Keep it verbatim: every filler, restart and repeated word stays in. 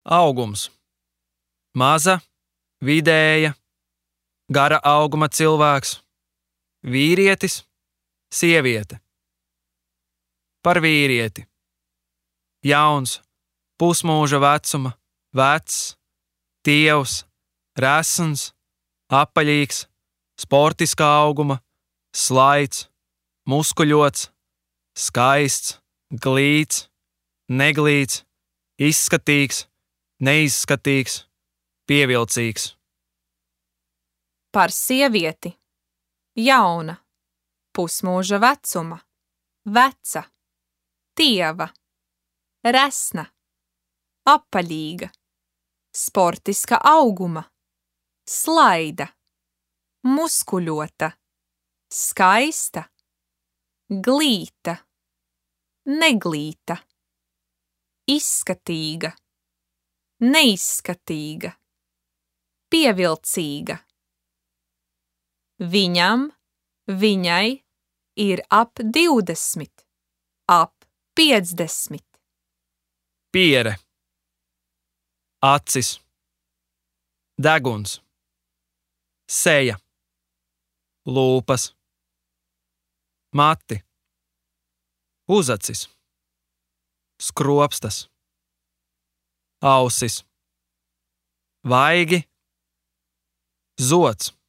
Augums. Maza, vidēja, gara auguma cilvēks, vīrietis, sieviete. Par vīrieti. Jauns, pusmūža vecuma, vecs, tievs, resns, apaļīgs, sportiskā auguma, slaids, muskuļots, skaists, glīts, neglīts, izskatīgs, neizskatīgs, pievilcīgs. Par sievieti. Jauna, pusmūža vecuma, veca, tieva, resna, apaļīga, sportiska auguma, slaida, muskuļota, skaista, glīta, neglīta, izskatīga, neizskatīga, pievilcīga. Viņam, viņai ir ap divdesmit, ap piecdesmit. Piere. Acis. Deguns. Seja. Lūpas. Mati. Uzacis. Skropstas. Ausis. Vaigi. Zods.